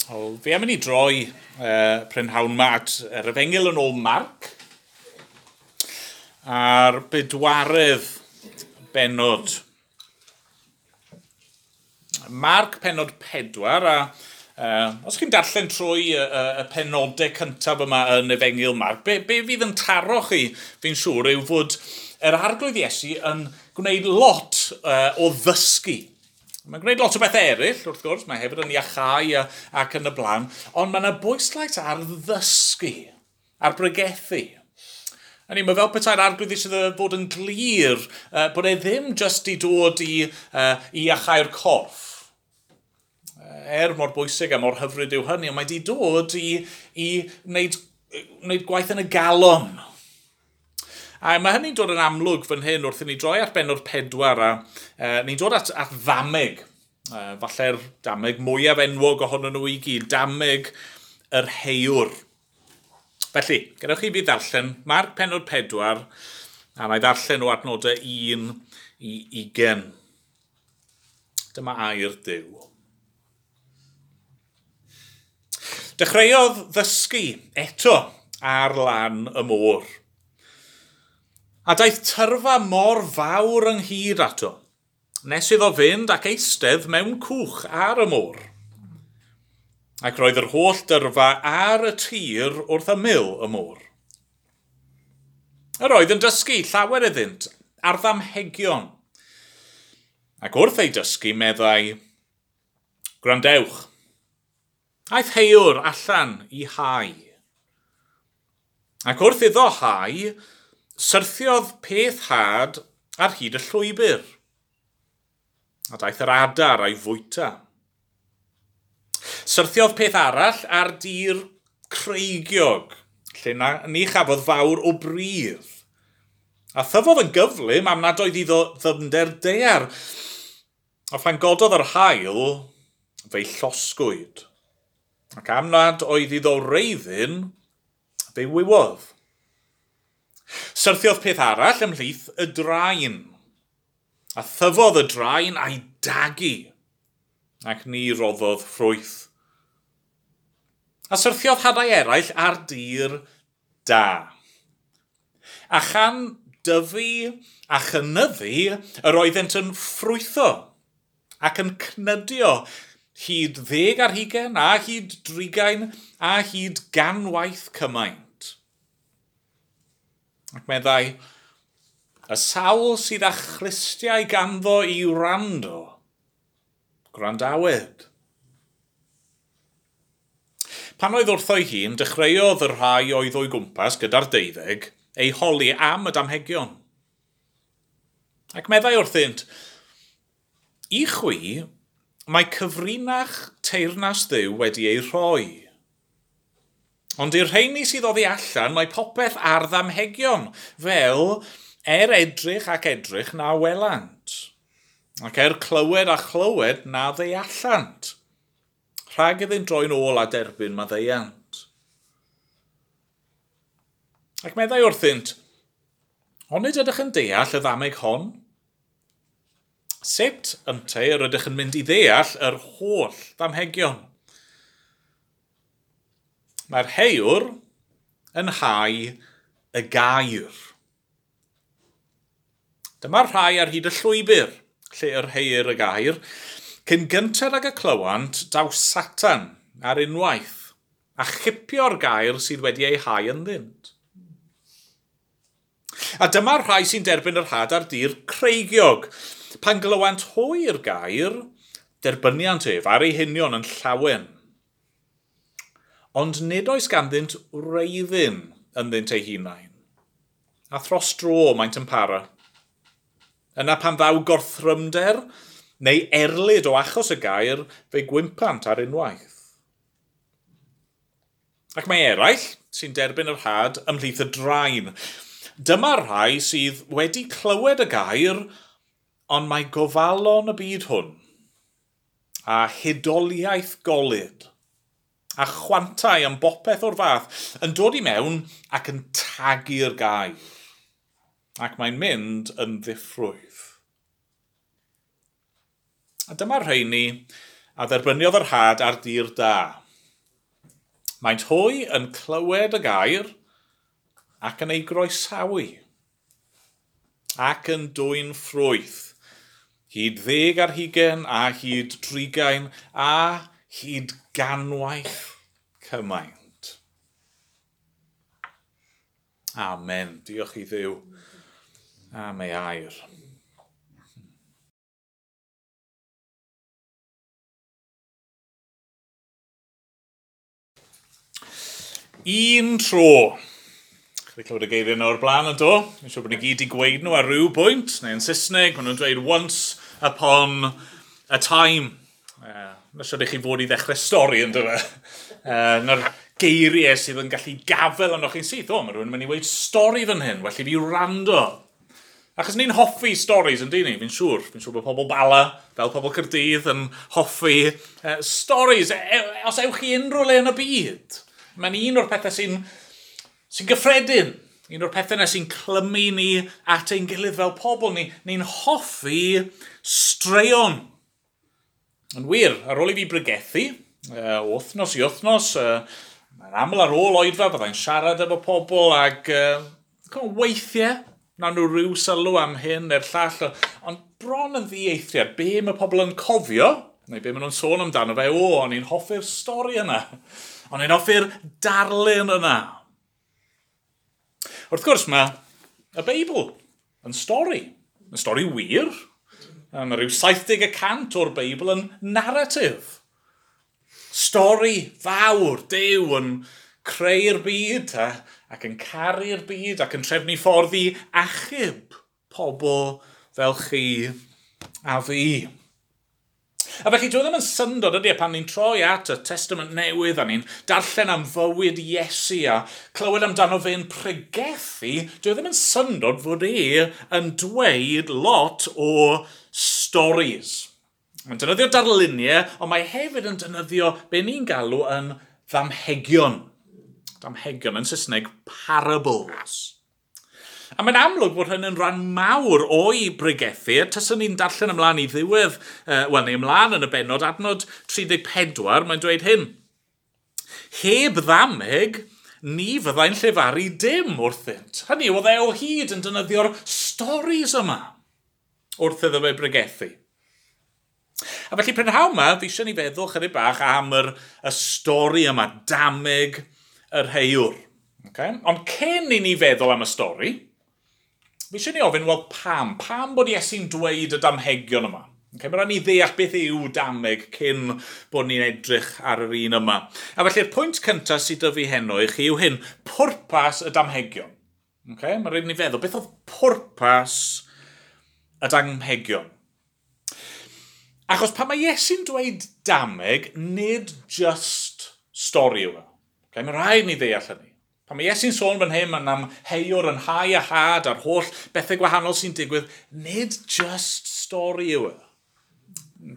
Wel, fi am i ni droi prynhawn ma at yr Efengyl yn ôl Marc a'r bedwaredd bennod. Marc pennod 4, a os chi'n darllen trwy y penodau cyntaf yma yn Efengyl Marc, be fydd yn taro chi, fi'n siŵr, yw fod yr Arglwydd Iesu yn gwneud lot o ddysgu. Mae'n gwneud lot o bethau eraill, wrth gwrs, mae hefyd yn iachau ac yn y blaen, ond mae yna bwyslais ar ddysgu, ar bregethu. Hynny, mae fel petai'r Arglwydd eisiau fod yn glir bod e ddim jyst i dod i iachau'r corff. Er mor bwysig a mor hyfryd yw hynny, ond mae di dod i wneud gwaith yn y galon. A mae hynny'n dod yn amlwg fan hyn wrth i ni droi at bennod 4 a ni'n dod at ddameg. Falle'r dameg mwyaf enwog ohonyn nhw i gyd, dameg yr heiwr. Felly, gadewch i fi ddarllen Marc pennod 4, a na i ddarllen o adnodau 1 i 20. Dyma air Duw. Dechreuodd ddysgu eto ar lan y môr. A daeth tyrfa mor fawr ynghyd ato, nes iddo fynd ac eistedd mewn cwch ar y môr. Ac roedd yr holl dyrfa ar y tir wrth ymyl y môr. Yr oedd yn dysgu llawer iddynt ar ddamhegion. Ac wrth ei dysgu meddai, "Gwrandewch, aeth heiwr allan i hau. Ac wrth iddo hau, syrthiodd peth had ar hyd y llwybr, a daeth yr adar a'i fwyta. Syrthiodd peth arall ar dir creigiog, lle ni chafodd fawr o bridd. A thyfodd yn gyflym am nad oedd iddo ddyfnder daear. A phan gododd yr haul, fe'i llosgwyd. Ac am nad oedd iddo wreiddyn, fe'i wywodd. Syrthiodd peth arall ymhlith y draen, a thyfodd y draen a'i dagu, ac ni roddodd ffrwyth. A syrthiodd hadau eraill ar dir da. A chan dyfu a chynyddu, yr oeddent yn ffrwytho ac yn cnydio hyd 10 ar 20 a hyd 30 a hyd 100 cymaint. Ac meddai, y sawl sydd â chlustiau ganddo i wrando, gwrandawed. Pan oedd wrtho'i hun, dechreuodd y rhai oedd o'i gwmpas gyda'r 12 ei holi am y damhegion. Ac meddai wrthynt, i chwi, mae cyfrinach teyrnas Dduw wedi ei rhoi. Ond i'r rheini sydd oddi allan, mae popeth ar ddamhegion, fel er edrych ac edrych na welant, ac er clywed a chlywed na ddeallant, rhag iddynt droi'n ôl a derbyn maddeuant. Ac meddai wrthynt, onid ydych yn deall y ddameg hon? Sut ynte yr ydych yn mynd i ddeall yr holl ddamhegion? Mae'r heiwr yn hau y gair. Dyma'r rhai ar hyd y llwybr, lle yr heir y gair. Cyn gynted ag y clywant, daw Satan ar unwaith, a chipio'r gair sydd wedi ei hau ynddynt. A dyma'r rhai sy'n derbyn yr had ar dir creigiog. Pan glywant hwy'r gair, derbyniant ef ar ei hunion yn llawen. Ond nid oes ganddynt wreiddyn ynddynt eu hunain, a thros dro maent yn para. Yna pan ddaw gorthrymder neu erlid o achos y gair, fe gwympant ar unwaith. Ac mae eraill sy'n derbyn yr had ymhlith y draen. Dyma'r rhai sydd wedi clywed y gair, ond mae gofalon y byd hwn, a hudoliaeth golud, a chwantau am bopeth o'r fath yn dod i mewn ac yn tagu'r gair. Ac mae'n mynd yn ddiffrwyth. A dyma'r rheini a dderbyniodd yr had ar dir da. Maent hwy yn clywed y gair ac yn ei groesawu ac yn dwyn ffrwyth, hyd 20 a hyd 30 a hyd 100 cymaint. Amen. Diolch i Dduw am ei air. Un tro. Chi wedi clywed y geiriau yna o'r blaen yn do? Fi'n siŵr bod ni gyd 'di gweud nhw ar ryw bwynt, neu yn Saesneg, maen nhw'n dweud "once upon a time". Na siŵr i chi fod i ddechrau stori yn dod. Na'r geiriau sydd yn gallu gafel arnoch chi'n syth. O, mae rhywun yn mynd i weud stori fan hyn, well i fi wrando. Achos ni'n hoffi stories, yn dyn ni, fi'n siŵr. Fi'n siŵr bod pobl Bala, fel pobl Caerdydd, yn hoffi stories. Os ewch chi unrhyw le yn y byd, mae'n un o'r pethau sy'n gyffredin. Un o'r pethau yna sy'n clymu ni at ein gilydd fel pobl. Ni'n hoffi straeon. Yn wir, ar ôl i fi bregethu, wythnos i wythnos, mae'n aml ar ôl oedfa, byddai'n siarad efo pobl ac weithiau, na nhw rhyw sylw am hyn neu'r llall, ond bron yn ddieithriad, be mae pobl yn cofio, neu be maen nhw'n sôn amdano fe, o, o'n i'n hoffi'r stori yna, o'n i'n hoffi'r darlun yna. Wrth gwrs, mae y Beibl yn stori wir. Mae rhyw 70% o'r Beibl yn narratif. Stori fawr, Duw yn creu'r byd ac yn caru'r byd ac yn trefnu ffordd i achub pobl fel chi a fi. A felly dwi ddim yn syndod ydy e pan ni'n troi at y Testament Newydd a ni'n darllen am fywyd Iesu a clywed amdano fe'n pregethu, dwi ddim yn syndod fod e yn dweud lot o stories. Mae'n defnyddio darluniau, ond mae hefyd yn defnyddio be ni'n galw yn ddamhegion. Damhegion yn Saesneg, parables. A mae'n amlwg bod hyn yn rhan mawr o'i bregethu. Taswn ni'n darllen ymlaen i ddiwedd, wel, neu ymlaen yn y bennod, adnod 34, mae'n dweud hyn. Heb ddameg, ni fyddai'n llefaru dim wrthynt. Hynny yw, oedd e o hyd yn defnyddio'r stories yma wrth iddo fe bregethu. A felly prynhawn yma, fi eisiau ni feddwl chydig bach am y stori yma, dameg yr heuwr. Okay? Ond cyn i ni feddwl am y stori, fi eisiau ni ofyn, wel pam? Pam bod Iesu'n dweud y damhegion yma? Okay, mae rhaid ni ddeall beth yw dameg cyn bod ni'n edrych ar yr un yma. A felly'r pwynt cyntaf sydd 'da fi heno i chi yw hyn, pwrpas y damhegion. Okay? Mae rhaid ni feddwl, beth oedd pwrpas y damhegion? Achos pan mae Iesu'n dweud dameg, nid just stori yw e. Okay? Mae rhaid ni ddeall hynny. Pan mae Iesu'n sôn fan hyn am heuwr yn hau a had a'r holl bethau gwahanol sy'n digwydd, nid just stori yw e.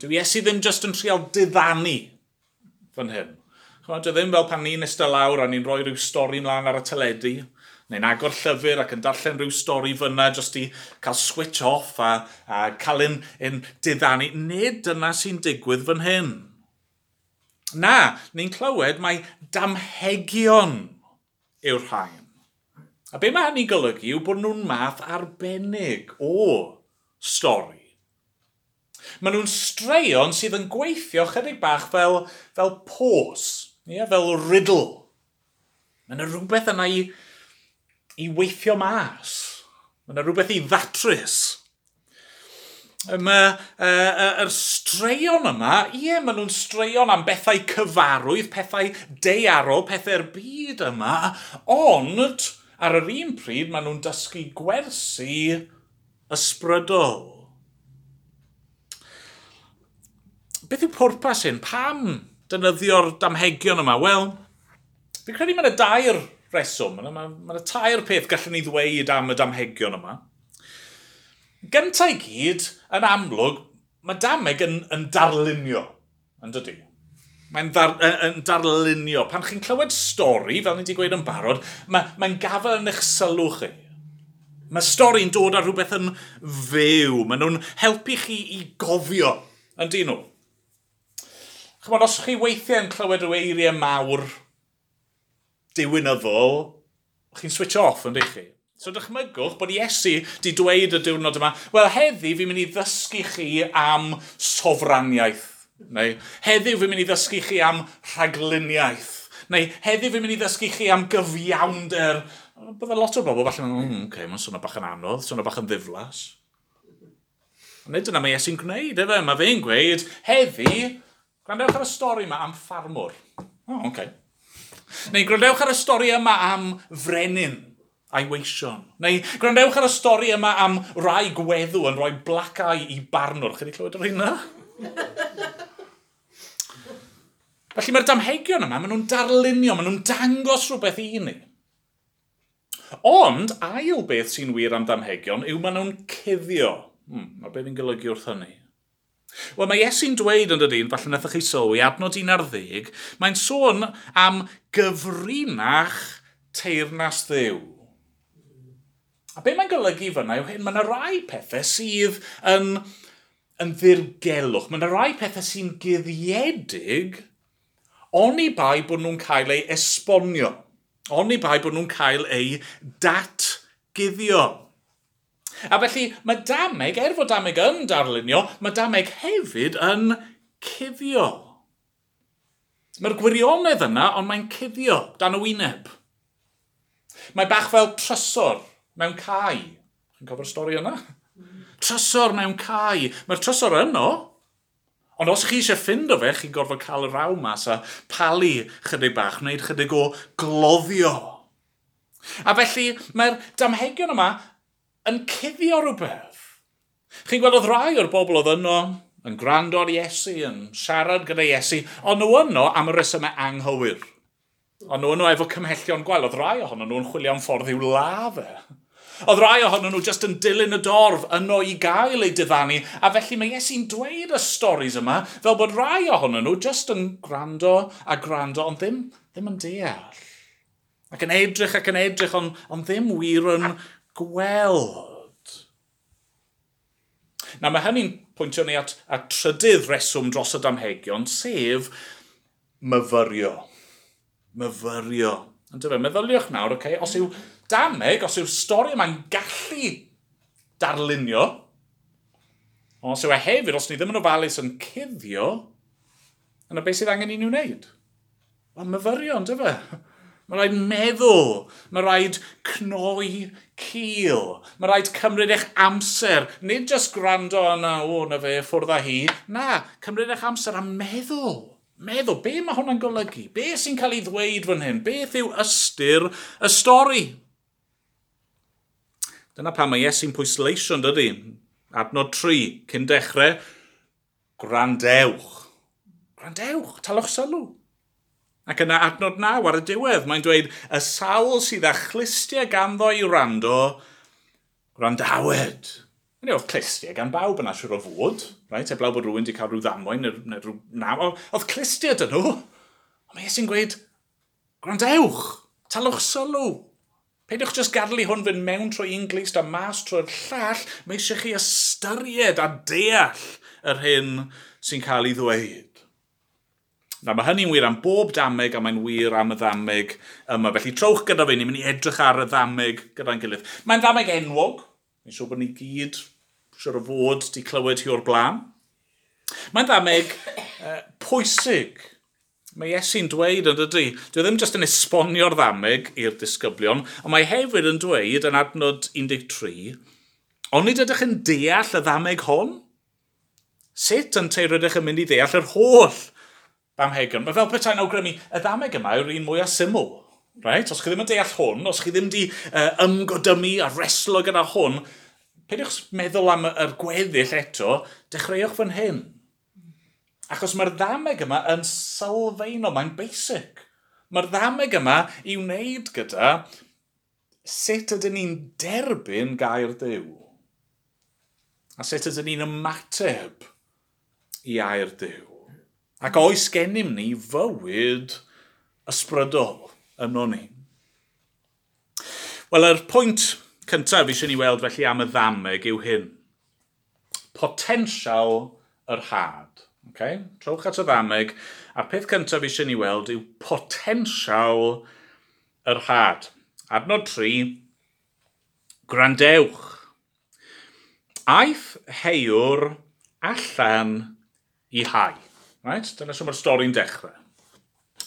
Dyw Iesu ddim just yn trial diddanu fan hyn. Ch'mod, dyw e ddim fel pan ni'n eistedd lawr a ni'n rhoi rhyw stori mlaen ar y teledu, neu'n agor llyfr ac yn darllen rhyw stori fyna just i cael switch off a cael un diddanu. Nid dyna sy'n digwydd fan hyn. Na, ni'n clywed mae damhegion yw'r rhain. A be mae hynny'n golygu yw bod nhw'n math arbennig o stori. Maen nhw'n straeon sydd yn gweithio chydig bach fel pos, yeah, fel riddle. Mae yna rhywbeth yna i weithio mas. Mae yna rhywbeth i ddatrys. Mae yr straeon yma, ie, maen nhw'n straeon am bethau cyfarwydd, pethau daearol, pethau'r byd yma, ond ar yr un pryd maen nhw'n dysgu gwersi ysbrydol. Beth yw pwrpas hyn? Pam defnyddio'r damhegion yma? Wel, fi'n credu mae yna dair reswm, mae yna tair peth gallwn ni ddweud am y damhegion yma. Gyntaf i gyd, yn amlwg, mae dameg yn darlunio, yn dydy? Mae'n yn darlunio. Pan chi'n clywed stori, fel ni wedi gweud yn barod, mae'n gafael yn eich sylw chi. Mae stori'n dod â rhywbeth yn fyw. Maen nhw'n helpu chi i gofio, yn dyn nhw. Ch'mod, os chi weithiau yn clywed rhyw eiriau mawr diwinyddol, chi'n switch off yn chi? So dychmygwch bod Iesu di dweud y diwrnod yma, wel heddi fi'n mynd i ddysgu chi am sofraniaeth. Neu heddiw fi'n mynd i ddysgu chi am rhagluniaeth. Neu heddiw fi'n mynd i ddysgu chi am gyfiawnder. Bydde lot o bobl falle, okay, mae'n swnio bach yn anodd, swnio bach yn ddiflas. Ond nid dyna mae Iesu'n gwneud, efe. Mae fe'n gweud, heddi, gwrandewch ar y stori yma am ffarmwr. O, oh, okay. Neu gwrandewch ar y stori yma am frenin a'i weision. Neu gwrandewch ar y stori yma am rai gweddw yn rhoi black eye i barnwr. Chi wedi clywed yr hynna? Felly mae'r damhegion yma, maen nhw'n darlunio, maen nhw'n dangos rhywbeth i ni. Ond ail beth sy'n wir am damhegion yw maen nhw'n cuddio. Mae beth fi'n golygu wrth hynny? Wel, mae Iesu'n dweud yn dydy, falle wnaethoch chi sylwi, adnod 11, mae'n sôn am gyfrinach teyrnas Dduw. A be mae'n golygu fyna yw hyn, mae yna rai pethau sydd yn ddirgelwch. Mae yna rai pethau sy'n guddiedig, oni bai bod nhw'n cael eu esbonio. Oni bai bod nhw'n cael eu datguddio. A felly mae dameg, er fod dameg yn darlunio, mae dameg hefyd yn cuddio. Mae'r gwirionedd yna, ond mae'n cuddio dan y wyneb. Mae bach fel trysor mewn cae. Chi'n cofio'r stori yna? Trysor mewn cae. Mae'r trysor yno, ond os chi eisiau ffindo fe, chi'n gorfod cael y raw mas a palu chydig bach, wneud chydig o gloddio. A felly mae'r damhegion yma yn cuddio rhywbeth. Chi'n gweld oedd rai o'r bobl oedd yno yn gwrando ar Iesu, yn siarad gyda Iesu, ond nhw yno am y resymau anghywir. Ond nhw yno efo cymhellion gwael. Oedd rai ohonyn nhw'n chwilio am ffordd i'w ladd e. Oedd rai ohonyn nhw jyst yn dilyn y dorf yno i gael eu diddanu. A felly mae Iesu'n dweud y storis yma fel bod rai ohonyn nhw jyst yn gwrando a gwrando, ond ddim yn deall. Ac yn edrych, ond ddim wir yn gweld. Na, mae hynny'n pwyntio ni at trydydd reswm dros y damhegion, sef myfyrio. Myfyrio. Yndyfe, meddyliwch nawr, okay, os yw dameg, os yw'r stori yma'n gallu darlunio, ond os yw e hefyd, os ni ddim yn ofalus yn cuddio, yna beth sydd angen i ni wneud? Wel, myfyrio, yndyfe? Mae rhaid meddwl, mae rhaid cnoi cil, mae rhaid cymryd eich amser, nid jyst gwrando yna, o, na fe, ffwrdd â hi. Na, cymryd eich amser a meddwl. Meddwl, be mae hwnna'n golygu? Be sy'n cael ei ddweud fan hyn? Beth yw ystyr y stori? Dyna pam mae Iesu'n pwysleisio, yn dydy? Adnod 3, cyn dechrau, gwrandewch. Gwrandewch, talwch sylw. Ac yna adnod 9 ar y diwedd, mae'n dweud, y sawl sydd â chlustiau ganddo i wrando, gwrandawed. Hynny, oedd clustiau gan bawb yna siŵr o fod, right? Heblaw bod rhywun wedi cael rhyw ddamwain neu rhyw naw. Oedd clustiau dyn nhw. Ond mae Iesu'n gweud, gwrandewch, talwch sylw. Peidiwch jyst gadael i hwn fynd mewn trwy un glust a mas trwy'r llall. Mae eisiau chi ystyried a deall yr hyn sy'n cael ei ddweud. Na, mae hynny'n wir am bob dameg a mae'n wir am y ddameg yma. Felly trowch gyda fi, ni'n mynd i edrych ar y ddameg gyda'n gilydd. Mae'n ddameg enwog. Fi'n siŵr bod ni gyd, siŵr o fod, di clywed hi o'r blaen. Mae'n ddameg pwysig. Mae Iesu'n dweud yn dydy, dwi ddim jyst yn esbonio'r ddameg i'r disgyblion, ond mae hefyd yn dweud yn adnod 13, onid ydych yn deall y ddameg hon? Sut ynteu rydych yn mynd i ddeall yr holl damhegion? Mae fel petai'n awgrymu, y ddameg yma yw'r un mwyaf syml. Right? Os chi ddim yn deall hwn, os chi ddim wedi ymgodymu a reslo gyda hwn, peidiwch meddwl am yr gweddill eto, dechreuwch fan hyn. Achos mae'r ddameg yma yn sylfaenol, mae'n basic. Mae'r ddameg yma i wneud gyda sut ydyn ni'n derbyn gair Duw. A sut ydyn ni'n ymateb i air Duw. Ac oes gennym ni fywyd ysbrydol yno ni. Wel, yr pwynt cyntaf eisiau ni weld felly am y ddameg yw hyn. Potensial yr had. Okay? Trowch at y ddameg, a'r peth cyntaf eisiau ni weld yw potensial yr had. Adnod 3, gwrandewch. Aeth heiwr allan i hau. Right? Dyna sy'n mae'r stori'n dechrau.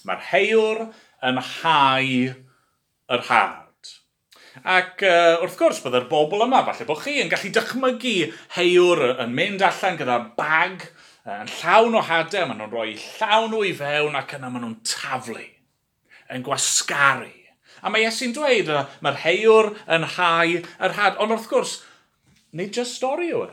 Mae'r heiwr yn hau yr had. Ac wrth gwrs, byddai'r bobl yma, falle bod chi yn gallu dychmygu heiwr yn mynd allan gyda bag yn llawn o hadau, maen nhw'n rhoi llawn nhw i fewn ac yna maen nhw'n taflu, yn gwasgaru. A mae Iesu'n dweud, mae'r heiwr yn hau yr had, ond wrth gwrs, nid jyst stori yw e.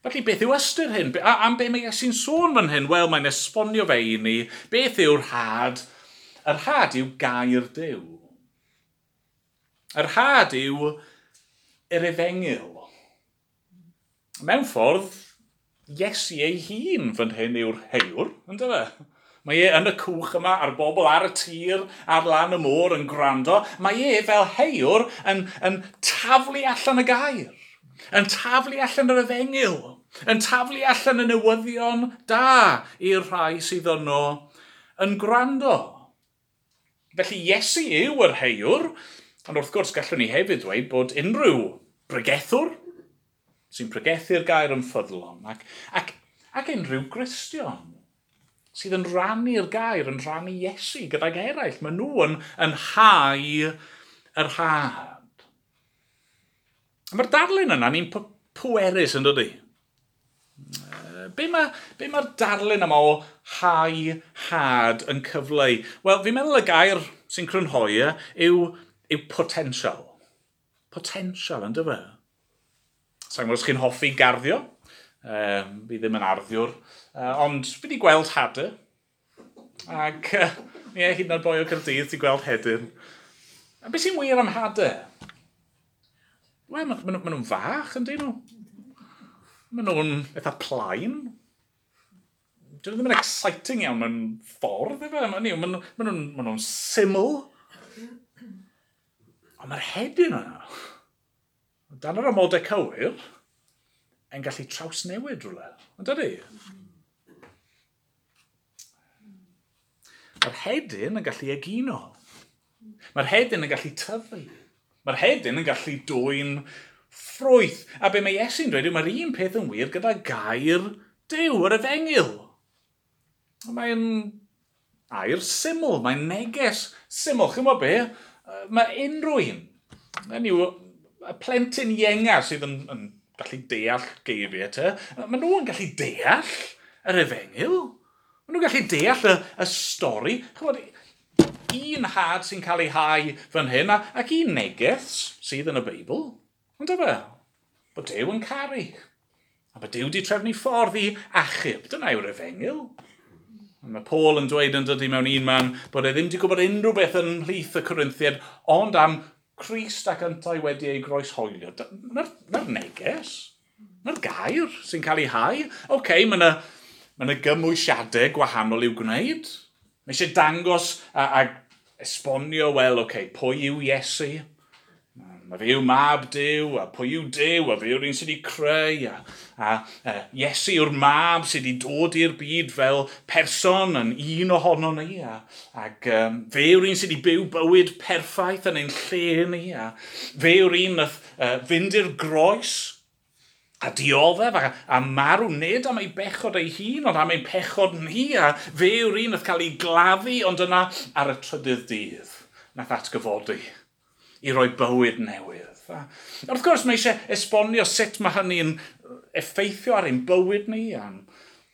Felly beth yw ystyr hyn? A am be mae Iesu'n sôn fan hyn? Wel, mae'n esbonio fe i ni beth yw'r had. Yr had yw gair Duw. Yr had yw yr efengyl. Mewn ffordd, Iesu ei hun fan hyn yw'r heiwr, ynddo fe? Mae e yn y cwch yma, a'r bobl ar y tir, ar lan y môr yn gwrando. Mae e fel heiwr yn taflu allan y gair, yn taflu allan yr efengyl, yn taflu allan y newyddion da i'r rhai sydd yno yn gwrando. Felly Iesu yw yr heiwr, ond wrth gwrs gallwn ni hefyd dweud bod unrhyw bregethwr sy'n pregethu'r gair yn ffyddlon ac unrhyw Gristion sydd yn rhannu'r gair, yn rhannu Iesu gydag eraill. Maen nhw yn hau yr had. Mae'r darlun yna ni'n pwerus yn dydi? Be mae'r darlun yma o hau had yn cyfleu? Wel, fi'n meddwl y gair sy'n crynhoi yw potensial. Potensial, yn dyfe? Sa'n gwybod os chi'n hoffi garddio. Fi ddim yn arddiwr. Ond fi wedi gweld hadau. Ac ie, hyd yn oed boi o Caerdydd ti'n gweld hedyn. A beth sy'n wir am hadau? Wel, maen nhw'n fach, yndyn nhw? Maen nhw'n eitha plaen. Dyn nhw ddim yn exciting iawn mewn ffordd, efe? Maen nhw'n syml. Ond mae'r hedyn yna, dan yr amodau cywir, yn gallu trawsnewid rhywle. Ond dydy? Mae'r hedyn yn gallu egino. Mae'r hedyn yn gallu tyfu. Mae'r hedyn yn gallu dwyn ffrwyth. A be mae Iesu'n dweud yw mae'r un peth yn wir gyda gair Duw, yr efengyl. Mae'n air syml, mae'n neges syml. Chi'n gwybod be? Mae unrhyw un, yw, y plentyn ienga sydd yn gallu deall geiriau te, maen nhw yn gallu deall yr efengyl. Maen nhw'n gallu deall y stori. Chymod, un had sy'n cael ei hau fan hyn, ac un neges sydd yn y Beibl. Ond dyma, bod Duw yn caru. A bod Duw wedi trefnu ffordd i achub. Dyna yw'r efengyl. Mae Paul yn dweud yn dydy mewn un man bod e ddim wedi gwybod unrhyw beth yn mhlith y Corinthiaid, ond am Crist ac yntau wedi ei groeshoelio. Mae'r neges, mae'r gair sy'n cael ei hau. Oce, mae yna gymwysiadau gwahanol i'w gwneud. Mae eisiau dangos a esbonio, wel, oce, pwy yw Iesu? Mae fe yw mab Duw, a pwy yw Duw, a fe yw'r un sydd wedi creu, a Iesu yw'r mab sydd wedi dod i'r byd fel person yn un ohono ni, ac fe yw'r un sydd wedi byw bywyd perffaith yn ein lle ni, a fe yw'r un nath fynd i'r groes a dioddef a marw nid am ei bechod ei hun, ond am ein pechod ni, a fe yw'r un nath cael ei gladdu, ond yna ar y trydydd dydd nath atgyfodi i roi bywyd newydd. A wrth gwrs, mae eisiau esbonio sut mae hynny'n effeithio ar ein bywyd ni, a'n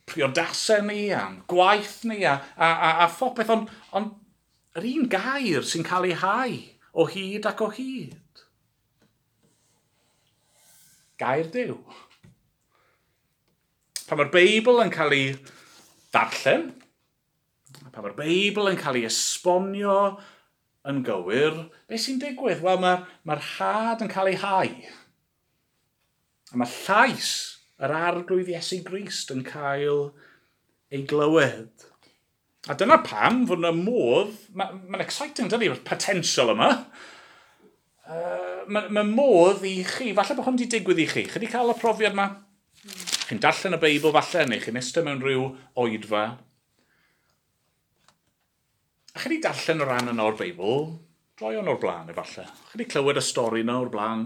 priodasau ni, a'n gwaith ni, a phopeth, ond yr un gair sy'n cael ei hau o hyd ac o hyd. Gair Duw. Pan mae'r Beibl yn cael ei ddarllen, pan mae'r Beibl yn cael ei esbonio yn gywir, beth sy'n digwydd? Wel, mae'r had yn cael ei hau. A mae llais yr Arglwydd Iesu Grist yn cael ei glywed. A dyna pam fod yna modd, mae'n exciting, dydy, mae'r potensial yma. Mae modd i chi, falle bod hwn wedi digwydd i chi. Chi wedi cael y profiad yma? Chi'n darllen y Beibl falle, neu chi'n eistedd mewn rhyw oedfa. A chi wedi darllen y rhan yna o'r Beibl Droion o'r blaen, efallai. Chi wedi clywed y stori yna o'r blaen.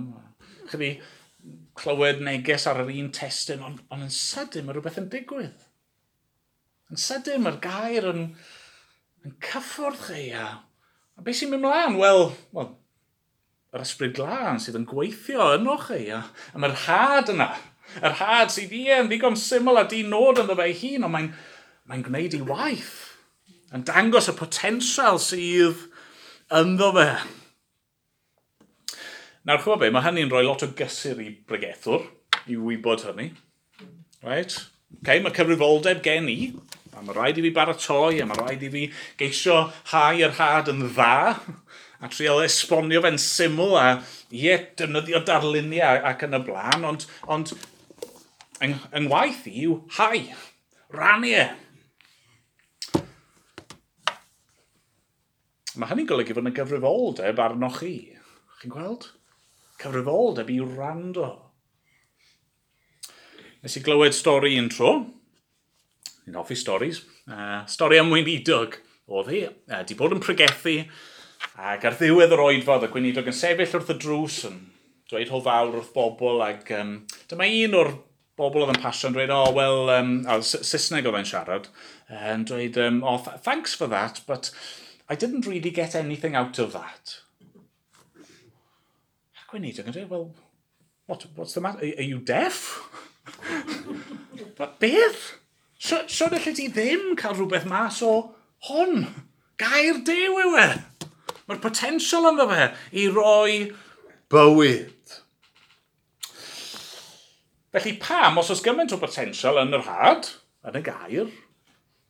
Chi wedi clywed neges ar yr un testun, ond yn sydyn mae rhywbeth yn digwydd. Yn sydyn mae'r gair yn cyffwrdd chi a beth sy'n mynd mlaen? Wel, yr Ysbryd Glân sydd yn gweithio yno chi a mae'r had yna. Yr had sydd ie yn ddigon syml a di nod ynddo fe ei hun, ond mae'n gwneud ei waith. Yn dangos y potensial sydd ynddo fe. Nawr, chwbod be, mae hynny'n rhoi lot o gysur i bregethwr, i wybod hynny. Right? Okay, mae cyfrifoldeb gen i, a mae rhaid i fi baratoi, a mae rhaid i fi geisio hau yr had yn dda, a trial esbonio fe'n syml, a ie, defnyddio darluniau ac yn y blaen, ond yng ngwaith i yw hau, rannu e. Mae hynny'n golygu fod yna gyfrifoldeb arnoch chi. Chi'n gweld? Cyfrifoldeb i wrando. Nes i glywed stori un tro. Ni'n hoffi storis. Stori am weinidog oedd hi. Di bod yn pregethu ac ar ddiwedd yr oedfa oedd y gweinidog yn sefyll wrth y drws yn dweud hwyl fawr wrth bobl ac dyma un o'r bobl oedd yn pasio yn dweud, oh, well, Saesneg oedd e'n siarad, yn dweud, oh, thanks for that, but I didn't really get anything out of that. A gweinidog yn dweud, well, what's the matter? Are you deaf? Beth? Sut allet ti ddim cael rhywbeth mas o hwn? Gair Duw yw e. Mae'r potensial ynddo fe i roi bywyd. Felly pam, os oes gymaint o potensial yn yr had, yn y gair,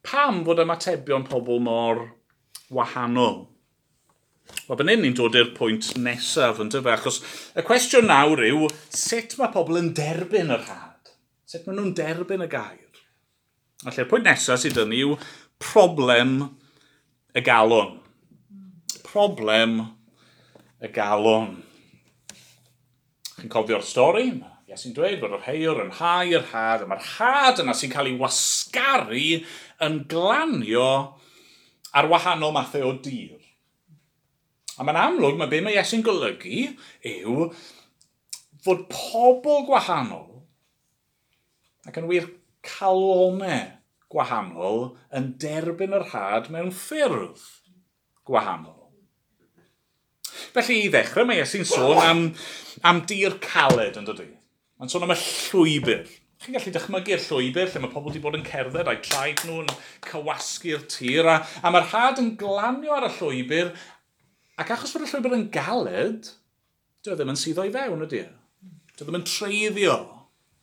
pam fod ymatebion pobl mor wahanol? Wel, fan hyn ni'n dod i'r pwynt nesaf, yn dyfe, achos y cwestiwn nawr yw, sut mae pobl yn derbyn yr had? Sut maen nhw'n derbyn y gair? Felly'r pwynt nesaf sydd yn yw problem y galon. Problem y galon. Chi'n cofio'r stori? Iesu'n dweud bod yr heiwr yn hau yr had, a mae'r had yna sy'n cael ei wasgaru yn glanio ar wahanol mathau o dir. A mae'n amlwg, mae be mae Iesu'n golygu yw fod pobl gwahanol ac yn wir calonau gwahanol yn derbyn yr had mewn ffyrdd gwahanol. Felly i ddechrau mae Iesu'n sôn am dir caled, yn dydi? Mae'n sôn am y llwybr. Chi'n gallu dychmygu'r llwybr lle mae pobl wedi bod yn cerdded a'i traed nhw'n cywasgu'r tir a mae'r had yn glanio ar y llwybr ac achos bod y llwybr yn galed, dyw e ddim yn suddo i fewn, ydy e? Dyw e ddim yn treiddio.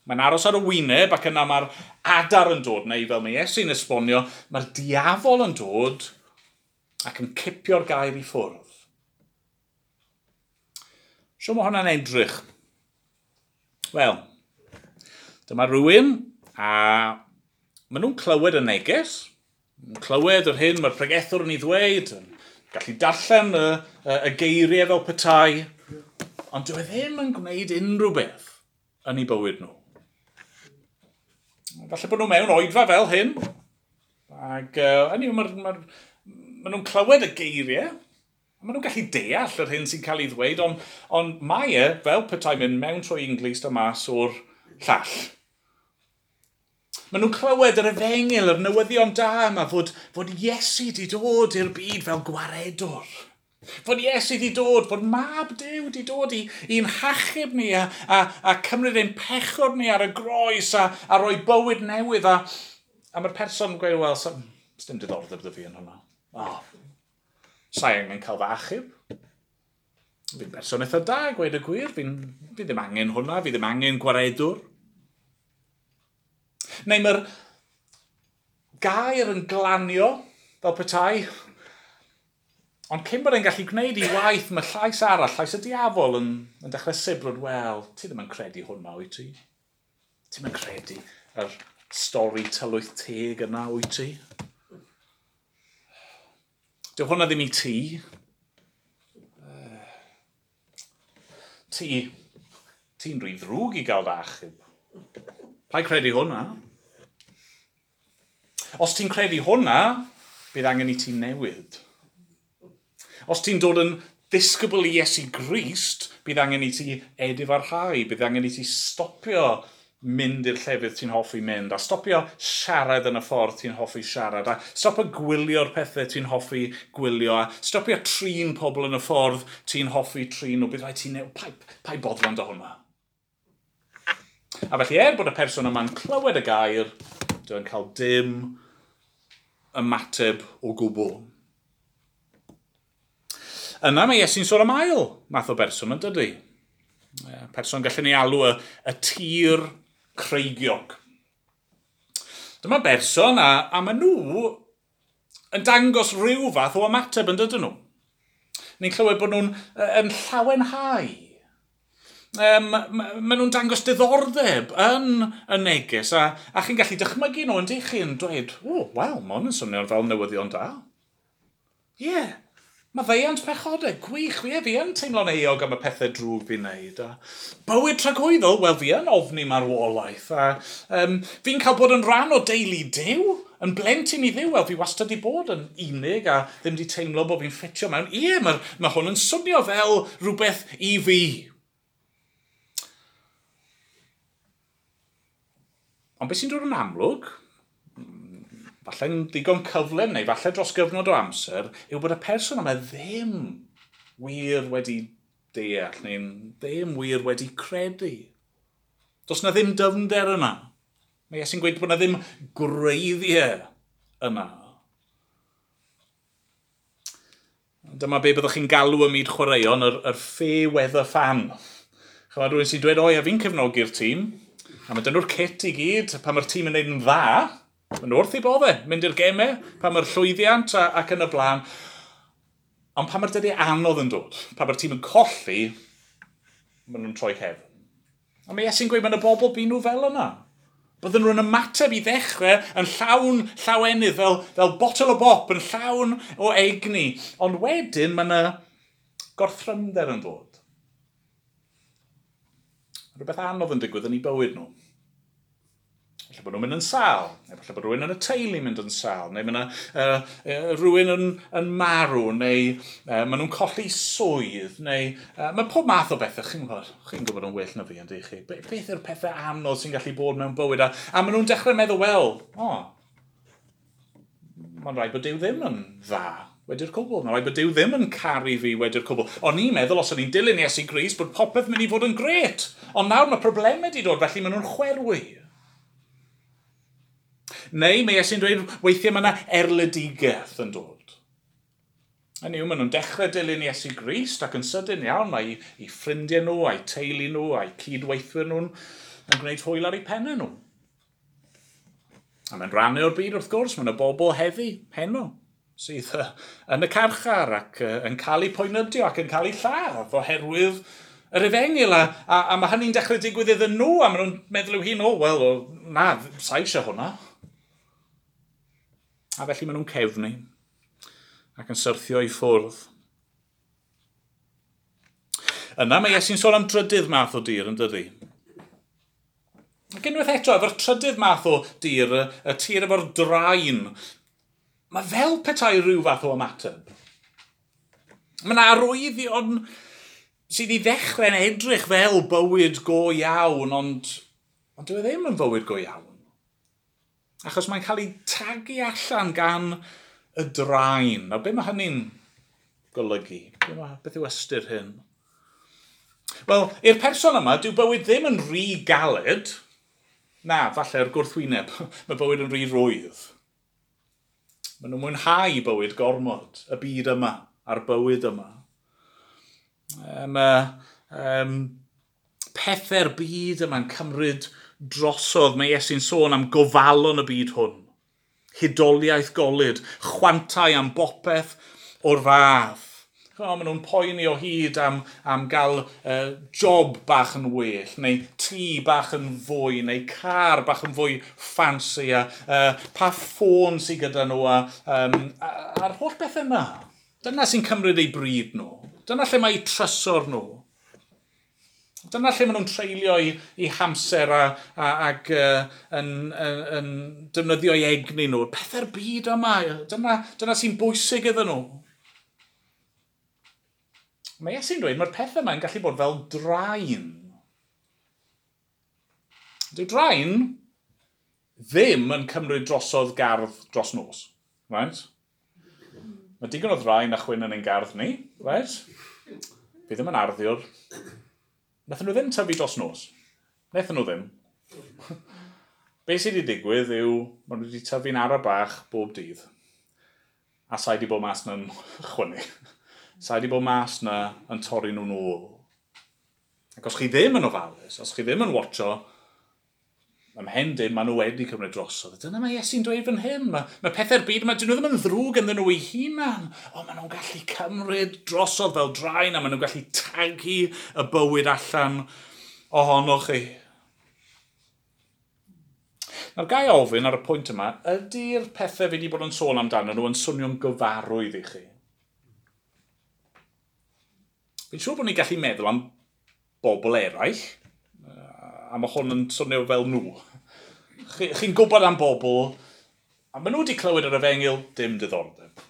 Mae'n aros ar y wyneb ac yna mae'r adar yn dod, neu fel mae Iesu'n esbonio, mae'r diafol yn dod ac yn cipio'r gair i ffwrdd. Sut mae hwnna'n edrych? Wel, dyma rhywun a maen nhw'n clywed y neges, yn clywed yr hyn mae'r pregethwr yn ei ddweud, yn gallu darllen y geiriau fel petai, ond dyw e ddim yn gwneud unrhyw beth yn eu bywyd nhw. Falle bod nhw mewn oedfa fel hyn, ac hynny yw, maen nhw'n clywed y geiriau, a maen nhw'n gallu deall yr hyn sy'n cael ei ddweud, ond mae e fel petai mynd mewn trwy un glust a mas o'r llall. Maen nhw'n clywed yr efengyl, yr newyddion da yma, fod Iesu di dod i'r byd fel gwaredwr. Fod Iesu di dod, fod Mab Duw di dod i'n hachub ni a cymryd ein pechod ni ar y groes a rhoi bywyd newydd. A mae'r person yn gweud, wel, sdim diddordeb 'da fi yn hwnna. Oh, sa i angen cael fy achub. Fi'n berson eitha da, gweud y gwir. Fi ddim angen hwnna, fi ddim angen gwaredwr. Neu mae'r gair yn glanio fel petai. Ond cyn bod e'n gallu gwneud ei waith, mae llais arall, llais y diafol yn dechrau sibrwd, wel, ti ddim yn credu hwnna, wyt ti? Ti ddim yn credu yr stori tylwyth teg yna, wyt ti? Dyw hwnna ddim i ti. Ti'n rhy ddrwg i gael dy achub. Paid credu hwnna? Os ti'n credu hwnna, bydd angen i ti newid. Os ti'n dod yn ddisgybl i Iesu Grist, bydd angen i ti edifarhau, bydd angen i ti stopio mynd i'r llefydd ti'n hoffi mynd, a stopio siarad yn y ffordd ti'n hoffi siarad, a stopio gwylio'r pethau ti'n hoffi gwylio, a stopio trin pobl yn y ffordd ti'n hoffi trin nhw. Bydd rhaid ti'n newid, paid boddran â hwnna. A felly bod y person yma'n clywed y gair, dwi'n cael dim ymateb o gwbl. Yna mae Iesu'n sôn am ail math o berson, yn dydy? Person gallwn ni alw y tir creigiog. Dyma berson a maen nhw yn dangos rhyw fath o ymateb, yn dydyn nhw. Ni'n clywed bod nhw'n yn llawenhau. Maen nhw'n dangos diddordeb yn y neges a chi'n gallu dychmygu nhw yn dych chi'n dweud, o, wel, mae hwn yn swnio fel newyddion da. Ie, yeah, maddeuant pechodau, gwych, fi yn teimlo'n euog am y pethau drwg fi'n neud. A bywyd tragwyddol, wel, fi yn ofni marwolaeth. A fi'n cael bod yn rhan o deulu Duw, yn blentyn i Dduw, wel, fi wastad wedi bod yn unig a ddim wedi teimlo bod fi'n ffitio mewn. Ie, mae hwn yn swnio fel rhywbeth i fi. Ond beth sy'n dod yn amlwg, falle'n ddigon cyflym neu falle dros gyfnod o amser, yw bod y person yma ddim wir wedi deall neu ddim wir wedi credu. Does na ddim dyfnder yna. Mae Iesu'n gweud bod na ddim gwreiddiau yna. Dyma be byddwch chi'n galw ym myd chwaraeon, yr fair weather fan. Chymod, rhywun sy'n dweud, o ia, fi'n cefnogi'r tîm, a mae dyn nhw'r kit i gyd, pan mae'r tîm yn neud yn dda, maen nhw wrth eu boddau, mynd i'r gemau, pan mae'r llwyddiant ac yn y blaen. Ond pan mae'r dyddiau anodd yn dod, pan mae'r tîm yn colli, maen nhw'n troi cefn. A mae Iesu'n gweud, mae'n y bobl bu nhw fel yna. Bydden nhw'n ymateb i ddechrau yn llawn llawenydd, fel botel o bop, yn llawn o egni. Ond wedyn mae yna gorthrymder yn dod. Rhywbeth anodd yn digwydd yn eu bywyd nhw. Falle bod nhw'n mynd yn sâl, neu falle bod rhywun yn y teulu mynd yn sâl, neu mae yna rhywun yn marw, neu maen nhw'n colli swydd, neu mae pob math o bethau, chi'n gwybod yn well na fi, yn dych chi. Beth yw'r pethau anodd sy'n gallu bod mewn bywyd? A maen nhw'n dechrau meddwl, wel, mae'n rhaid bod Duw ddim yn dda wedi'r cwbl. Mae'n rhaid bod Duw ddim yn caru fi wedi'r cwbl. O'n i'n meddwl, os o'n i'n dilyn Iesu Grist, bod popeth mynd i fod yn grêt. Ond nawr mae problemau wedi dod, felly maen nhw'n chwerwi. Neu mae Iesu'n dweud, weithiau mae yna erledigaeth yn dod. Hynny yw, maen nhw'n dechrau dilyn Iesu Grist ac yn sydyn iawn mae eu ffrindiau nhw, a'u teulu nhw, a'u cydweithwyr nhw'n yn gwneud hwyl ar eu pennau nhw. A mae'n rhannu o'r byd wrth gwrs, mae yna bobl heddi, heno, sydd yn y carchar ac yn cael eu poenydio ac yn cael eu lladd oherwydd yr efengyl, a mae hynny'n dechrau digwydd iddyn nhw, a maen nhw'n meddwl i'w hun, o, wel, na, sa eisiau hwnna. A felly maen nhw'n cefnu ac yn syrthio i ffwrdd. Yna mae Iesu'n sôn am drydydd math o dir, yn dydi? Ac unwaith eto, efo'r trydydd math o dir, y tir efo'r draen, mae fel petai rhyw fath o ymateb. Mae yna arwyddion sydd i ddechrau'n edrych fel bywyd go iawn, ond dyw e ddim yn fywyd go iawn. Achos mae'n cael ei tagu allan gan y draen. A be mae hynny'n golygu? Beth yw ystyr hyn? Wel, i'r person yma, dyw bywyd ddim yn rhy galed. Na, falle'r gwrthwyneb. Mae bywyd yn rhy rwydd. Maen nhw'n mwynhau bywyd gormod, y byd yma, a'r bywyd yma. Mae pethau'r byd yma'n cymryd drosodd. Mae Iesu'n sôn am gofalon y byd hwn. Hudoliaeth golud, chwantau am bopeth o'r fath. Maen nhw'n poeni o hyd am gael job bach yn well, neu tŷ bach yn fwy, neu car bach yn fwy ffansi, a pa ffôn sydd gyda nhw, a'r holl beth yna. Dyna sy'n cymryd eu bryd nhw. Dyna lle mae eu trysor nhw. Dyna lle maen nhw'n treulio eu hamser ac yn defnyddio eu egni nhw. Pethau'r byd yma, dyna sy'n bwysig iddyn nhw. Mae Iesu'n dweud mae'r pethau yma'n gallu bod fel draen. Dyw draen ddim yn cymryd drosodd gardd dros nos. Right? Mae digon o ddraen a chwyn yn ein gardd ni, right? Fi ddim yn arddiwr. Nathon nhw ddim tyfu dros nos. Nathon nhw ddim. Be sydd wedi digwydd yw, maen nhw wedi tyfu'n ara bach bob dydd. A sa'i wedi bod mas na'n chwynnu. Sa'i wedi bod mas na yn torri nhw'n ôl. Ac os chi ddim yn ofalus, os chi ddim yn watcho, ymhen dim, maen nhw wedi cymryd drosodd. Dyna mae Iesu'n dweud fan hyn. Mae pethau'r byd yma, dyn nhw ddim yn ddrwg ynddyn nhw eu hunan. Ond maen nhw'n gallu cymryd drosodd fel draen a maen nhw'n gallu tagu y bywyd allan ohonoch chi. Nawr ga i ofyn ar y pwynt yma, ydy'r pethau fi wedi bod yn sôn amdano nhw yn swnio'n gyfarwydd i chi? Fi'n siŵr bod ni'n gallu meddwl am bobl eraill, a mae hwn yn swnio fel nhw. Chi'n gwybod am bobl, a maen nhw wedi clywed yr efengyl, dim diddordeb.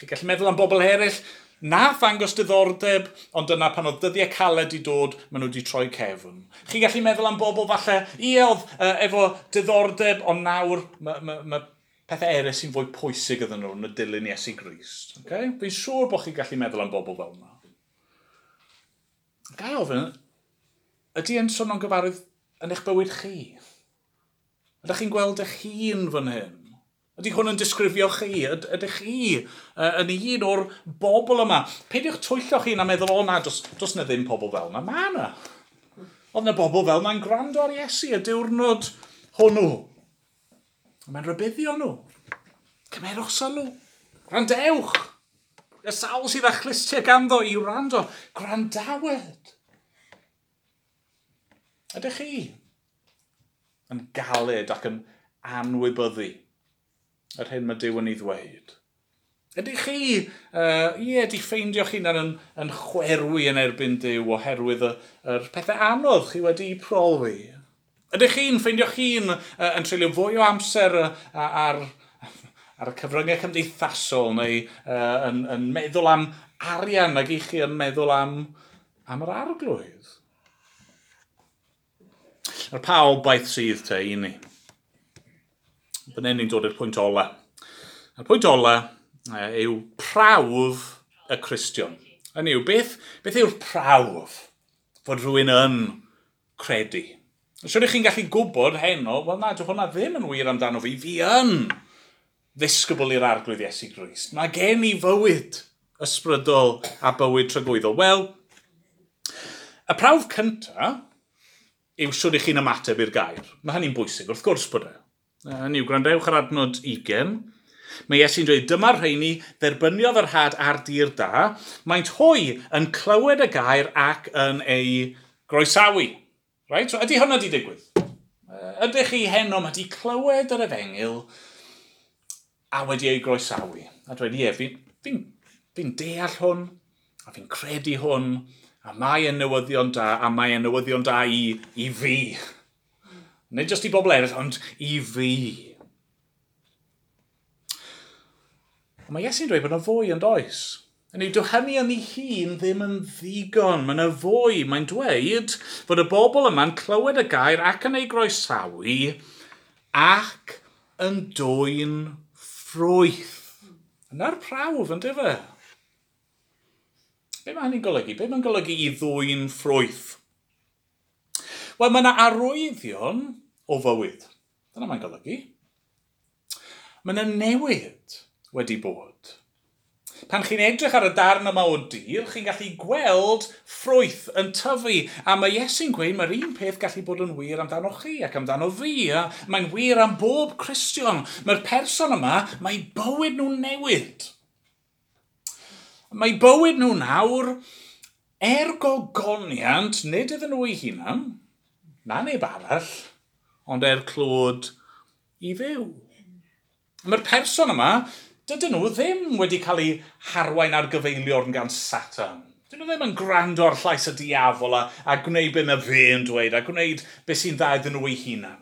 Chi'n gallu meddwl am bobl eraill, nath ddangos diddordeb, ond dyna pan oedd dyddiau caled i dod, maen nhw wedi troi cefn. Chi'n gallu meddwl am bobl falle, ie, oedd efo diddordeb, ond nawr mae pethau eraill sy'n fwy pwysig iddyn nhw yn y dilyn Iesu Grist. Okay? Fi'n siŵr bod chi'n gallu meddwl am bobl fel yna. Ga i ofyn, ydy e'n swnio'n gyfarwydd yn eich bywyd chi? Ydych chi'n gweld eich hun fan hyn? Ydy hwn yn disgrifio chi? Ydych chi yn un o'r bobl yma? Peidiwch twyllo chi na meddwl, o na, does na ddim pobl fel yna. Mae yna. Oedd yna bobl fel yna'n gwrando ar Iesu y diwrnod hwnnw. Mae'n rhybuddio nhw. Cymerwch sylw. Gwrandewch. Y sawl sydd â chlustiau ganddo i wrando. Gwrandawed. Ydych chi yn galed ac yn anwybyddu yr hyn mae Duw yn ei ddweud? Ydych chi, ie, di ffeindio'ch hunan yn chwerwi yn erbyn Duw oherwydd yr pethau anodd chi wedi'u profi? Ydych chi'n ffeindio'ch hun yn treulio fwy o amser ar y cyfryngau cymdeithasol neu yn meddwl am arian nag i chi yn meddwl am yr arglwydd? Nawr, pa obaith sydd te i ni? Fan hyn ni'n dod i'r pwynt ola. A'r pwynt ola yw prawf y Cristion. Hynny yw, beth yw'r prawf fod rhywun yn credu? Siwr i chi'n gallu gwybod heno, wel na, dyw hwnna ddim yn wir amdano fi. Fi yn ddisgybl i'r arglwydd Iesu Grist. Mae gen i fywyd ysbrydol a bywyd tragwyddol. Wel, y prawf cyntaf yw siwr i chi'n ymateb i'r gair. Mae hynny'n bwysig, wrth gwrs bod e. Hynny yw, gwrandewch ar adnod 20. Mae Iesu'n dweud, dyma'r rheini dderbyniodd yr had ar dir da, maent hwy yn clywed y gair ac yn ei groesawu. Right? So, ydy hwnna di digwydd? Ydych chi heno wedi clywed yr efengyl a wedi ei groesawu? A dweud, ie, fi'n deall hwn, a fi'n credu hwn, a mae e'n newyddion da, a mae e'n newyddion da i fi. Nid jyst i bobl eraill, ond i fi. Ond mae Iesu'n dweud bod yna fwy yn does. Hynny yw, dyw hynny yn ei hun ddim yn ddigon. Mae yna fwy. Mae'n dweud fod y bobl yma'n clywed y gair ac yn ei groesawu ac yn dwyn ffrwyth. Yna'r prawf, yn dyfe? Be mae hynny'n golygu? Be mae'n golygu i ddwyn ffrwyth? Wel, mae yna arwyddion o fywyd. Dyna mae'n golygu. Mae yna newid wedi bod. Pan chi'n edrych ar y darn yma o dir, chi'n gallu gweld ffrwyth yn tyfu. A mae Iesu'n gweud mae'r un peth gallu bod yn wir amdano chi ac amdano fi. A mae'n wir am bob Cristion. Mae'r person yma, mae bywyd nhw'n newid. Mae bywyd nhw nawr, er gogoniant, nid iddyn nhw eu hunan, na neb arall, ond er clod i Dduw. Mae'r person yma, dydyn nhw ddim wedi cael eu harwain ar gyfeiliorn gan Satan. Dydyn nhw ddim yn gwrando ar llais y diafol a gwneud be mae fe'n dweud a gwneud beth sy'n dda iddyn nhw eu hunan.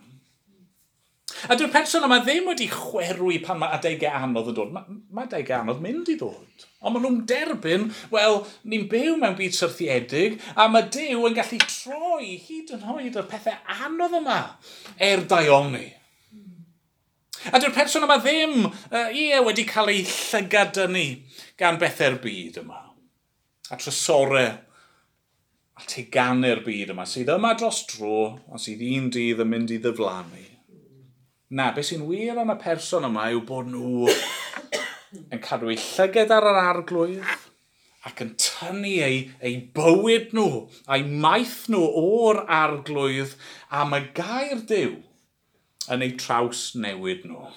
A dyw'r person yma ddim wedi chwerwi pan mae adegau anodd yn dod. Mae adegau anodd mynd i ddod. Ond maen nhw'n derbyn, wel, ni'n byw mewn byd syrthiedig, a mae Duw yn gallu troi hyd yn oed y pethau anodd yma er daioni. A dyw'r person yma ddim, ie, wedi cael ei llygad dynnu gan bethau'r byd yma. A trysorau a teganu'r byd yma, sydd yma dros dro, ond sydd un dydd yn mynd i ddiflannu. Na, beth sy'n wir am y person yma yw bod nhw yn cadw eu llygad ar yr Arglwydd ac yn tynnu eu bywyd nhw a'i maeth nhw o'r Arglwydd am y gair Duw yn eu traws newid nhw.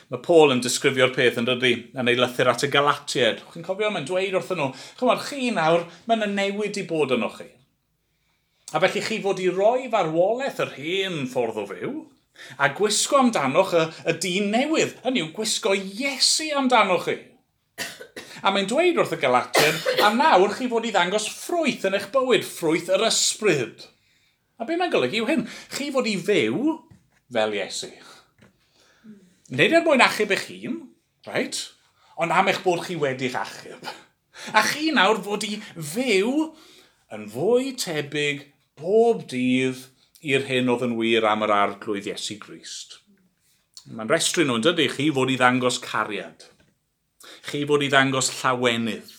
Mae Paul yn disgrifio'r peth yn dydy, yn ei lythyr at y Galatiaid. Chi'n cofio, mae'n dweud wrthyn nhw, chymod, chi nawr, mae'n y newid i bod yno chi. A felly chi fod i roi farwolaeth yr hen ffordd o fyw, a gwisgo amdanoch y dyn newydd, hynny yw gwisgo Iesu amdanoch chi. A mae'n dweud wrth y Galatiaid, a nawr chi fod i ddangos ffrwyth yn eich bywyd, ffrwyth yr ysbryd. A be mae'n golygu yw hyn, chi fod i fyw fel Iesu. Nid er mwyn achub eich hun, right? Ond am eich bod chi wedi'ch achub. A chi nawr fod i fyw yn fwy tebyg bob dydd i'r hyn oedd yn wir am yr Arglwydd Iesu Grist. Mae'n restru nhw yn dydy, chi fod i ddangos cariad. Chi fod i ddangos llawenydd.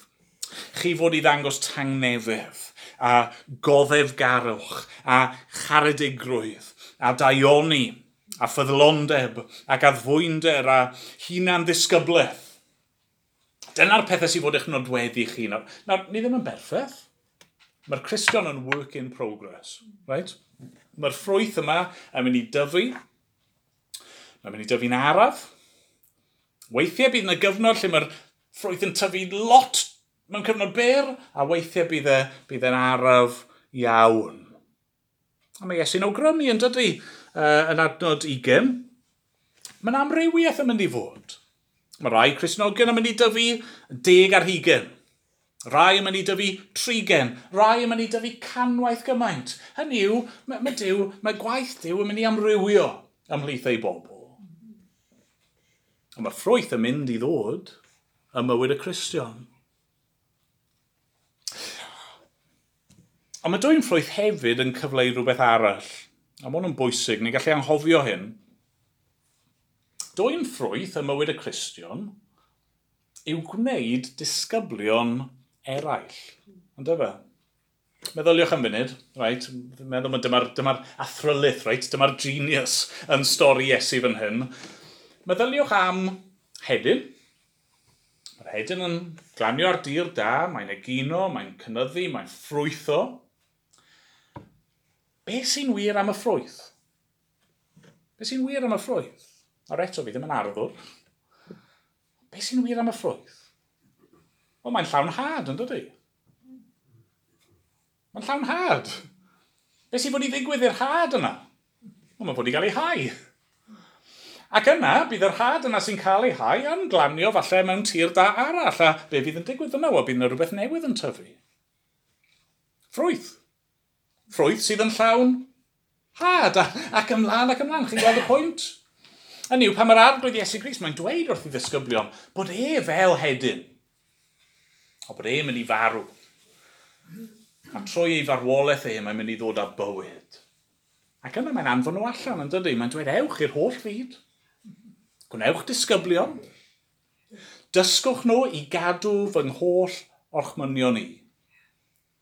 Chi fod i ddangos tangnefedd a goddefgarwch a charedigrwydd a daioni a ffyddlondeb ac addfwynder a hunan ddisgyblaeth. Dyna'r pethau sydd fod eich nodweddu chi. Nawr, ni ddim yn berffaith. Mae'r Cristion yn work in progress, right? Mae'r ffrwyth yma yn mynd i dyfu. Mae'n mynd i dyfu'n araf. Weithiau bydd yna gyfnod lle mae'r ffrwyth yn tyfu lot mewn cyfnod byr, a weithiau bydd e'n araf iawn. A mae Iesu'n awgrymu yn dydy, yn adnod 20. Mae'n amrywiaeth yn mynd i fod. Mae rai Cristnogion yn mynd i dyfu 10 ar 20. Rai yn mynd i dyfu 30, rai yn mynd i dyfu 100 gymaint. Hynny yw, mae gwaith Duw yn mynd i amrywio ymhlith ei bobl. Ond mae'r ffrwyth yn mynd i ddod ym mywyd y Cristion. Ond mae dwyn ffrwyth hefyd yn cyfleu rhywbeth arall. A mae hwn yn bwysig, ni'n gallu anghofio hyn. Dwyn ffrwyth ym mywyd y Cristion yw gwneud disgyblion eraill. Ond efe? Meddyliwch am funud, right? Meddwl mae dyma'r athrylith, right? Dyma'r genius yn stori Iesu fan hyn. Meddyliwch am hedyn. Mae'r hedyn yn glanio ar dir da, mae'n egino, mae'n cynyddu, mae'n ffrwytho. Be sy'n wir am y ffrwyth? Be sy'n wir am y ffrwyth? Nawr eto, fi ddim yn arddwr. Be sy'n wir am y ffrwyth? Wel, mae'n llawn had, yn dydy? Mae'n llawn had. Be sy'n fod i ddigwydd i'r had yna? Wel, mae'n fod i gael ei hau. Ac yna, bydd yr had yna sy'n cael ei hau yn glanio falle mewn tir da arall. A be fydd yn digwydd yna? Wel, bydd yna rhywbeth newydd yn tyfu. Ffrwyth. Ffrwyth sydd yn llawn had. Ac ymlaen, ac ymlaen. Chi'n gweld y pwynt? Hynny yw, pan mae'r Arglwydd Iesu Grist, mae'n dweud wrth ei ddisgyblion bod e fel hedyn. O bod e'n mynd i farw. A trwy ei farwolaeth e, mae'n mynd i ddod â bywyd. Ac yna mae'n anfon nhw allan, yn dydy? Mae'n dweud, ewch i'r holl fyd. Gwnewch disgyblion. Dysgwch nhw i gadw fy ngholl orchmynion i.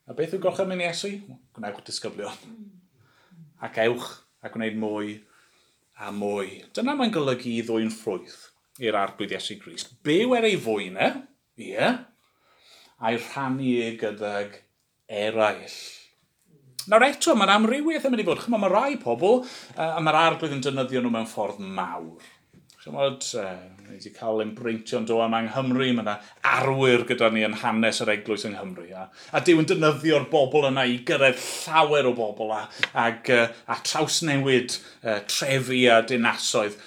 A beth yw gorchymyn Iesu? Gwnewch disgyblion. Ac ewch a gwneud mwy a mwy. Dyna mae'n golygu i ddwyn ffrwyth i'r Arglwydd Iesu Grist. Byw er ei fwyn e, ie, a'i rhannu e gydag eraill. Nawr eto, mae'r amrywiaeth yn mynd i fod. Chymod, mae rai pobl, a mae'r Arglwydd yn defnyddio nhw mewn ffordd mawr. Chymod, ni wedi cael ein breintio'n do yma yng Nghymru, mae yna arwyr gyda ni yn hanes yr eglwys yng Nghymru. A Duw yn defnyddio'r bobl yna i gyrraedd llawer o bobl a trawsnewid trefi a dinasoedd.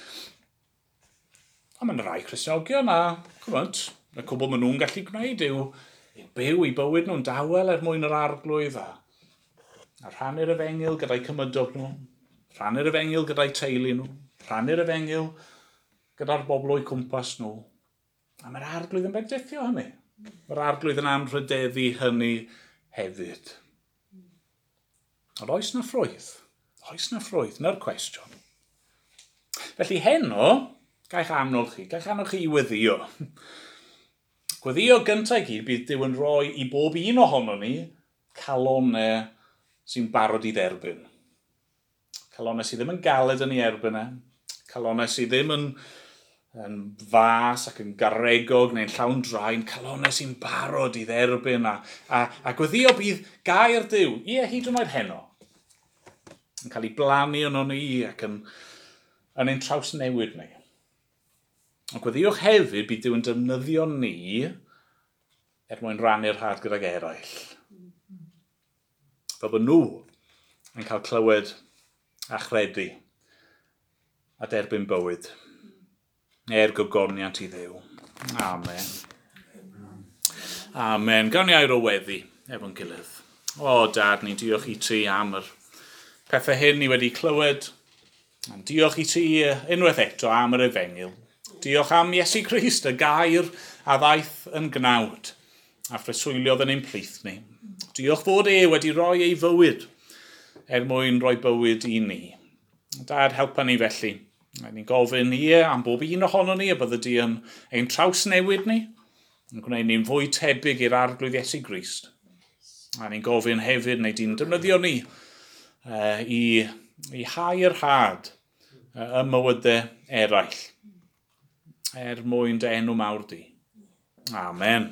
A mae yna rai Cristnogion a, chymod, y cwbl maen nhw'n gallu gwneud yw byw eu bywyd nhw'n dawel er mwyn yr Arglwydd a rhannu'r efengyl gyda'i cymydog nhw. Rhannu'r efengyl gyda'i teulu nhw, rhannu'r efengyl gyda'r bobl o'u cwmpas nhw. A mae'r Arglwydd yn bendithio hynny. Mae'r Arglwydd yn anrhydeddu hynny hefyd. Ond oes na ffrwyth? Oes na ffrwyth? Na'r cwestiwn. Felly heno, gaich annog chi, gaich annog chi i weddio. Gweddio gyntaf i gyd bydd Duw yn rhoi i bob un ohono ni calonau sy'n barod i dderbyn. Calonau sydd ddim yn galed yn ei erbyn e. Calonau sydd ddim yn fas ac yn garegog neu'n llawn draen. Calonau sy'n barod i dderbyn a gweddio bydd gair Duw, ie, hyd yn oed heno, yn cael ei blannu yno ni ac yn ein trawsnewid ni. Ond gweddiwch hefyd bydd Duw yn defnyddio ni er mwyn rannu'r had gydag eraill. Fel bod nhw yn cael clywed a chredu a derbyn bywyd er gogoniant i Dduw. Amen. Amen. Gawn ni air o weddi efo'n gilydd. O, Dad, ni'n diolch i ti am yr pethau hyn ni wedi clywed. A'n diolch i ti unwaith eto am yr efengyl. Diolch am Iesu Grist, y gair a ddaeth yn gnawd a phreswyliodd yn ein plith ni. Diolch fod e wedi rhoi ei fywyd er mwyn rhoi bywyd i ni. Dad, helpa ni felly. Ni'n gofyn ie am bob un ohono ni y bydde di yn ein trawsnewid ni, yn gwneud ni'n fwy tebyg i'r Arglwydd Iesu Grist. A ni'n gofyn hefyd, neu di'n defnyddio ni i hau'r had ym mywydau eraill, er mwyn dy enw mawr di. Amen.